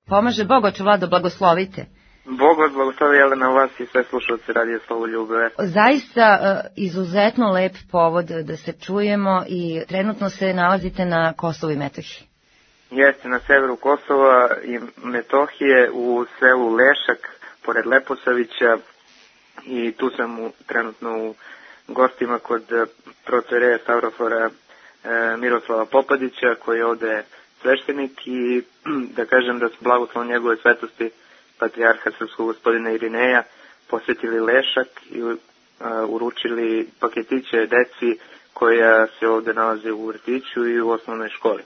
Pomaže Bog, oče Vlado, blagoslovite. Bog vas blagoslovi, Jelena, vas i sve slušalci Radija Slavoljube. Zaista izuzetno lep povod da se čujemo i trenutno se nalazite na Kosovu i Metohiji. Jeste, na severu Kosova i Metohije u selu Lešak, pored Leposavića, i tu sam trenutno u gostima kod protoijereja Stavrofora Miroslava Popadića, koji je ovde sveštenik, i da kažem da su blagoslovom njegove svetosti patrijarha srpskog gospodina Irineja posvetili Lešak i uručili paketiće deci koja se ovde nalaze u vrtiću i u osnovnoj školi.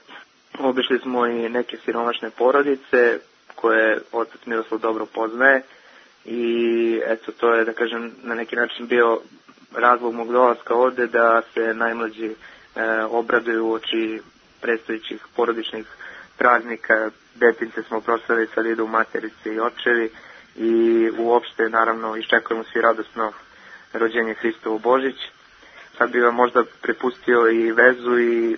Obišli smo i neke siromašne porodice koje otac Miroslav dobro poznaje i eto, to je, da kažem, na neki način bio razlog mog dolaska ovde, da se najmlađi obraduju u oči predstojećih porodičnih praznika. Detince smo proslavili, sad idu materice i očevi i uopšte, naravno, iščekujemo svi radosno rođenje Hristovo Božić. Sad bi vam možda prepustio i vezu i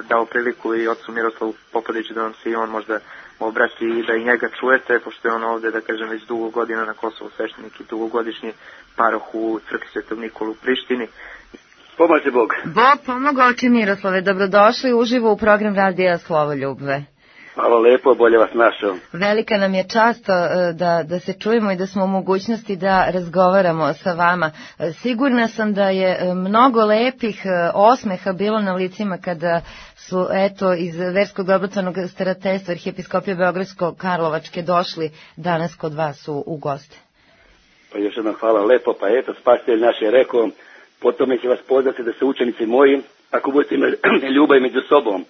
dao priliku i ocu Miroslavu Popadiću da vam se i on možda obrati i da i njega čujete, pošto je on ovde, da kažem, već dugo godina na Kosovu sveštenik i dugogodišnji paroh u crkvi Svetog Nikolu u Prištini. Pomaže Bog. Bog pomoga, oče Miroslave, dobrodošli uživo u program Radija Slavoljube. Hvala lepo, bolje vas našao. Velika nam je čast da se čujemo i da smo u mogućnosti da razgovaramo sa vama. Sigurna sam da je mnogo lepih osmeha bilo na licima kada su, eto, iz Verskog dobrotvornog starateljstva Arhijepiskopije Beogradsko-Karlovačke došli danas kod vas u goste. Pa još jednom hvala lepo, pa eto, spasitelj naš je rekao, po tome će vas poznati da su učenici moji, ako budete imali ljubav među sobom.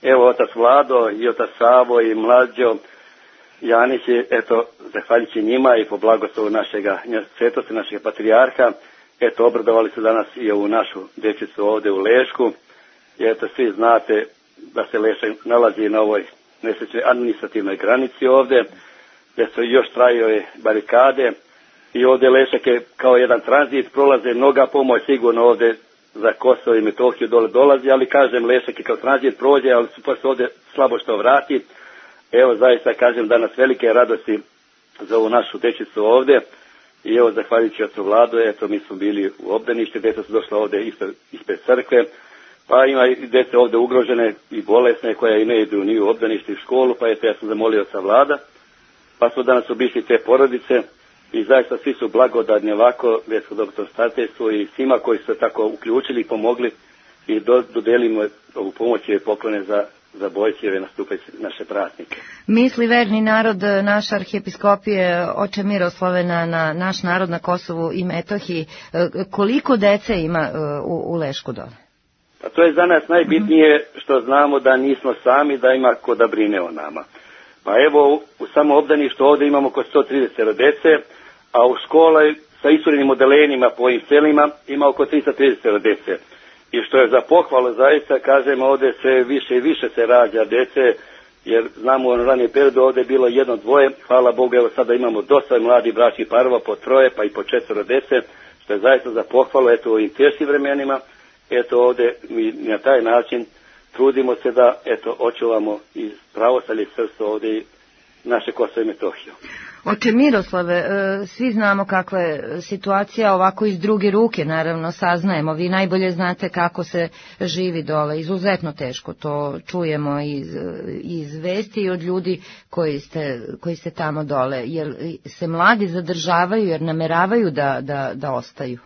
Evo, otac Vlado i otac Savo i mlađo Janić, eto, zahvaljujući njima i po blagoslovu našega svetosti, našeg patrijarha, eto, obradovali su danas i ovu našu dječicu ovde u Lešku. I eto, svi znate da se Lešak nalazi na ovoj nesrećnoj administrativnoj granici ovde, gdje su još traju ove barikade i ovde Lešak je kao jedan tranzit, prolaze mnoga pomoć sigurno ovde za Kosovo i Metohiju dole dolazi, ali kažem, Lešak je kao tranzit prođe, ali su posle ovde slabo što vrati. Evo, zaista kažem, danas velike radosti za ovu našu dečicu ovde i evo, zahvaljujući ocu Vladu, eto, mi smo bili u obdaništu, deca su došla ovde ispred crkve, pa ima i dece ovde ugrožene i bolesne koje i ne idu ni u obdanište i školu, pa eto, ja sam zamolio oca Vlada, pa smo danas obišli te porodice. I zaista svi su blagodadni ovako, Versko dobrotvorno starateljstvo i svima koji su se tako uključili i pomogli i dodelimo ovu pomoć i poklone za Božićeve nastupajuće naše praznike. Misli verni narod naše arhijepiskopije, oče Miroslave, na naš narod na Kosovu i Metohiji, koliko dece ima u Lešku dole? Pa to je za nas najbitnije što znamo da nismo sami, da ima ko da brine o nama. Pa evo, u samo obdaništu ovde imamo oko 130 dece, a u školi sa isturenim odelenjima po ovim selima ima oko 330 dece. I što je za pohvalu, zaista, kažem, ovde sve više i više se rađa dece, jer znamo u ranije periodu ovde je bilo 1-2, hvala Bogu, evo sada imamo dosta mladih bračnih parova, po 3 pa i po 4 dece, što je zaista za pohvalu, eto, u ovim teškim vremenima, eto, ovde mi na taj način trudimo se da, eto, očuvamo i pravoslavlje srpstvo ovde i naše Kosovo i Metohiju. Oče Miroslave, svi znamo kakva je situacija, ovako iz druge ruke, naravno, saznajemo. Vi najbolje znate kako se živi dole, izuzetno teško, to čujemo iz vesti i od ljudi koji ste tamo dole. Jer se mladi zadržavaju, jer nameravaju da ostaju?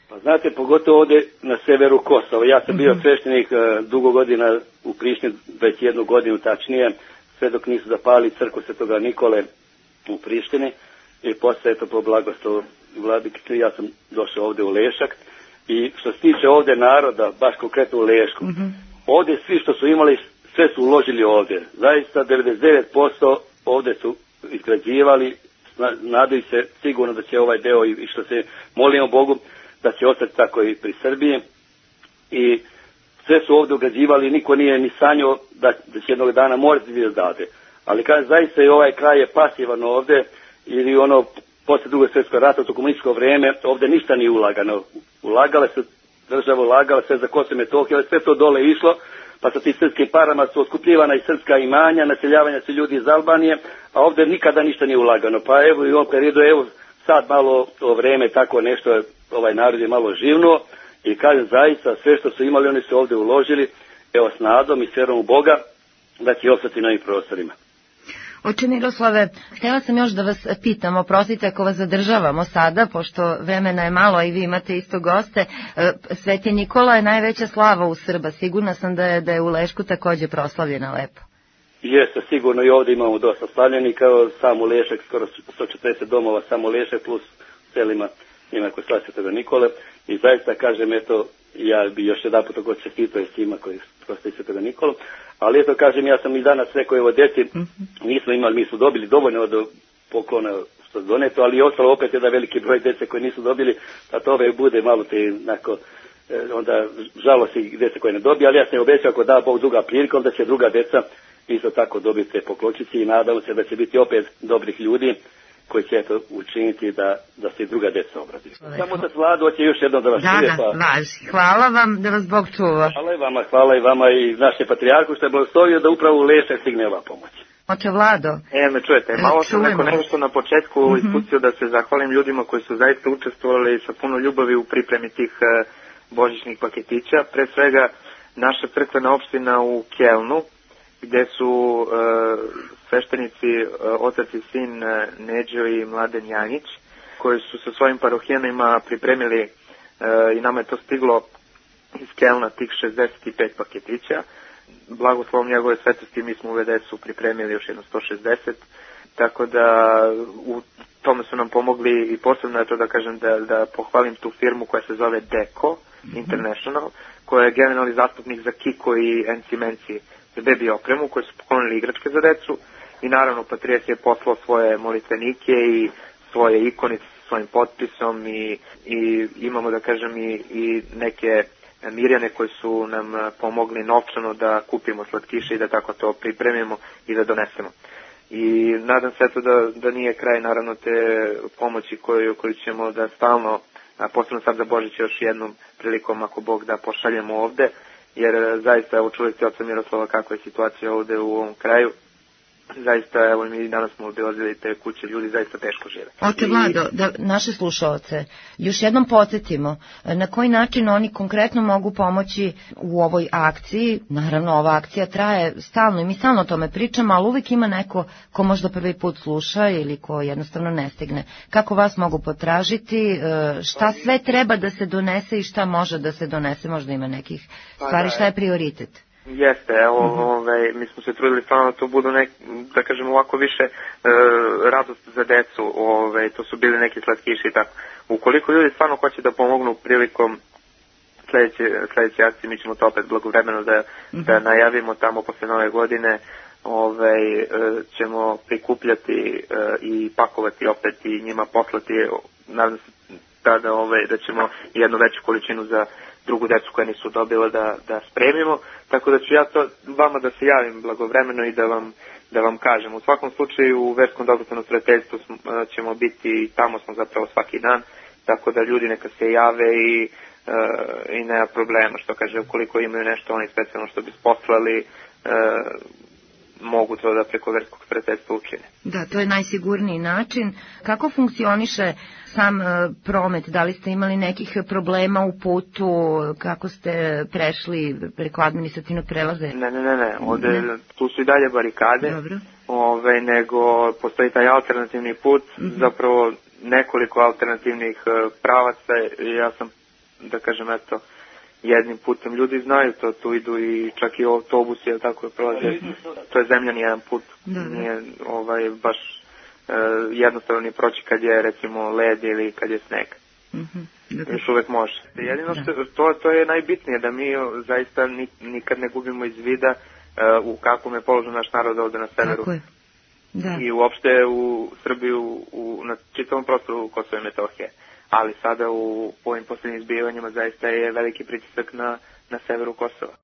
Pa znate, pogotovo ovde na severu Kosova. Ja sam bio sveštenik dugo godina u Prištini, već 1 godinu tačnije, sve dok nisu zapali crkvu Svetoga Nikole u Prištini i posle, eto, po blagoslovu vladike, ja sam došao ovde u Lešak i što se tiče ovde naroda, baš konkretno u Lešku, ovde svi što su imali, sve su uložili ovde. Zaista 99% ovde su izgrađivali, nadaju se sigurno da će ovaj deo i što se molimo Bogu, da će ostati tako i pri Srbiji i sve su ovde ugrađivali, niko nije ni sanjao da će jednog dana morati da dade. Ali kaže, zaista i ovaj kraj je pasivan ovde, ili ono, posle Drugog svjetskog rata, u to komunističko vreme, ovde ništa nije ulagano. Ulagala se, država ulagala sve za Kosovo i Metohiju, ali sve to dole išlo, pa sa tim srpskim parama su otkupljivana i srpska imanja, naseljavanja se ljudi iz Albanije, a ovdje nikada ništa nije ulagano. Pa evo i u ovom periodu, evo sad malo to vreme tako nešto, ovaj narod je malo živnuo i kažem zaista sve što su imali oni su ovdje uložili, evo s nadom i s vjerom u Boga da će ostati na ovim prostorima. Oče Miroslave, htjela sam još da vas pitam, oprostite ako vas zadržavamo sada, pošto vremena je malo i vi imate isto goste. Sveti Nikola je najveća slava u Srba, sigurna sam da je u Lešku također proslavljena lepo. Jeste, sigurno i ovdje imamo dosta slavljenika, samo Lešak, skoro 140 domova, samo Lešak plus selima ima kod Svetoga Nikole i zaista kažem, eto, ja bi još jedan put god čestitao i svima koji proslavi Svetoga Nikolu, ali eto kažem, ja sam i danas rekao, evo djeci, mi smo dobili dovoljno od poklona što je doneto, ali je ostalo opet jedan veliki broj djece koji nisu dobili, da to ove bude malo te onako, onda žalosti djece koje ne dobije, ali ja sam obećao ako da Bog druga prilika, onda će druga djeca isto tako dobiti te poklončice i nadamo se da će biti opet dobrih ljudi koji će eto učiniti da se i druga djeca obradi. Samo otac Vlado hoće još jednom da vas čuje. Hvala vam, da vas Bog čuva. Hvala i vama i naše patrijarhu što je blagoslovio da upravo u Lešak stigne ova pomoć. Oče Vlado. Me čujete, malo sam nešto na početku ispustio da se zahvalim ljudima koji su zaista učestvovali sa puno ljubavi u pripremi tih božićnih paketića. Pre svega naša crkvena opština u Kelnu, gde su sveštenici otac i sin Neđo i Mladen Janjić, koji su sa svojim parohijanima pripremili i nama je to stiglo iz Kelna tih 65 paketića. Blagoslovom njegove svetosti mi smo u VDS-u pripremili još jedno 160, tako da u tome su nam pomogli i posebno je to da kažem da pohvalim tu firmu koja se zove Deco International, koja je generalni zastupnik za Kiko i NC Menci za bebi opremu, koji su poklonili igračke za decu i naravno Patrijarh je poslao svoje molitvenike i svoje ikonice sa svojim potpisom i imamo da kažem i neke Mirjane koji su nam pomogli novčano da kupimo slatkiše i da tako to pripremimo i da donesemo. I nadam se eto da nije kraj naravno te pomoći koju ćemo da stalno, posebno sad za Božić još jednom prilikom ako Bog da pošaljemo ovde, jer zaista evo čuli ste oca Miroslava kakva je situacija ovde u ovom kraju. Zaista, evo mi danas smo obilazili te kuće, ljudi zaista teško žive. Oče Vlado, da naše slušaoce još jednom podsjetimo na koji način oni konkretno mogu pomoći u ovoj akciji. Naravno, ova akcija traje stalno i mi stalno o tome pričamo, ali uvijek ima neko ko možda prvi put sluša ili ko jednostavno ne stigne. Kako vas mogu potražiti, šta sve treba da se donese i šta može da se donese, možda ima nekih stvari, šta je prioritet? Jeste, evo, mi smo se trudili stvarno da to budu da kažemo ovako više radost za decu, to su bili neki slatkiši i tako. Ukoliko ljudi stvarno hoće da pomognu prilikom sljedeće akcije, mi ćemo to opet blagovremeno da najavimo tamo posle Nove godine, ćemo prikupljati i pakovati opet i njima poslati, nadam se da ćemo jednu veću količinu za drugu decu koja nisu dobila da spremimo, tako da ću ja to vama da se javim blagovremeno i da vam kažem. U svakom slučaju u Verskom dobrotvornom starateljstvu ćemo biti i tamo smo zapravo svaki dan, tako da ljudi neka se jave i nema problema, što kaže, ukoliko imaju nešto oni specijalno što bi poslali, mogu to da preko Verskog starateljstva učine. Da, to je najsigurniji način. Kako funkcioniše sam promet? Da li ste imali nekih problema u putu? Kako ste prešli preko administrativnog prelaza? Ne. Tu su i dalje barikade. Dobro. Nego postoji taj alternativni put, zapravo nekoliko alternativnih pravaca. Ja sam, da kažem, eto, jednim putem. Ljudi znaju to, tu idu i čak i autobusi, jel tako je prolaze. To je zemljani jedan put. Nije baš jednostavno ni proći kad je recimo led ili kad je sneg. Još uvek može. Jedino što to je najbitnije, da mi zaista nikad ne gubimo iz vida u kakvom je položaj naš narod ovde na severu. Tako je. Da. I uopšte u Srbiju, na čitavom prostoru Kosova i Metohije. Ali sada u ovim posljednjim zbivanjima zaista je veliki pritisak na severu Kosova.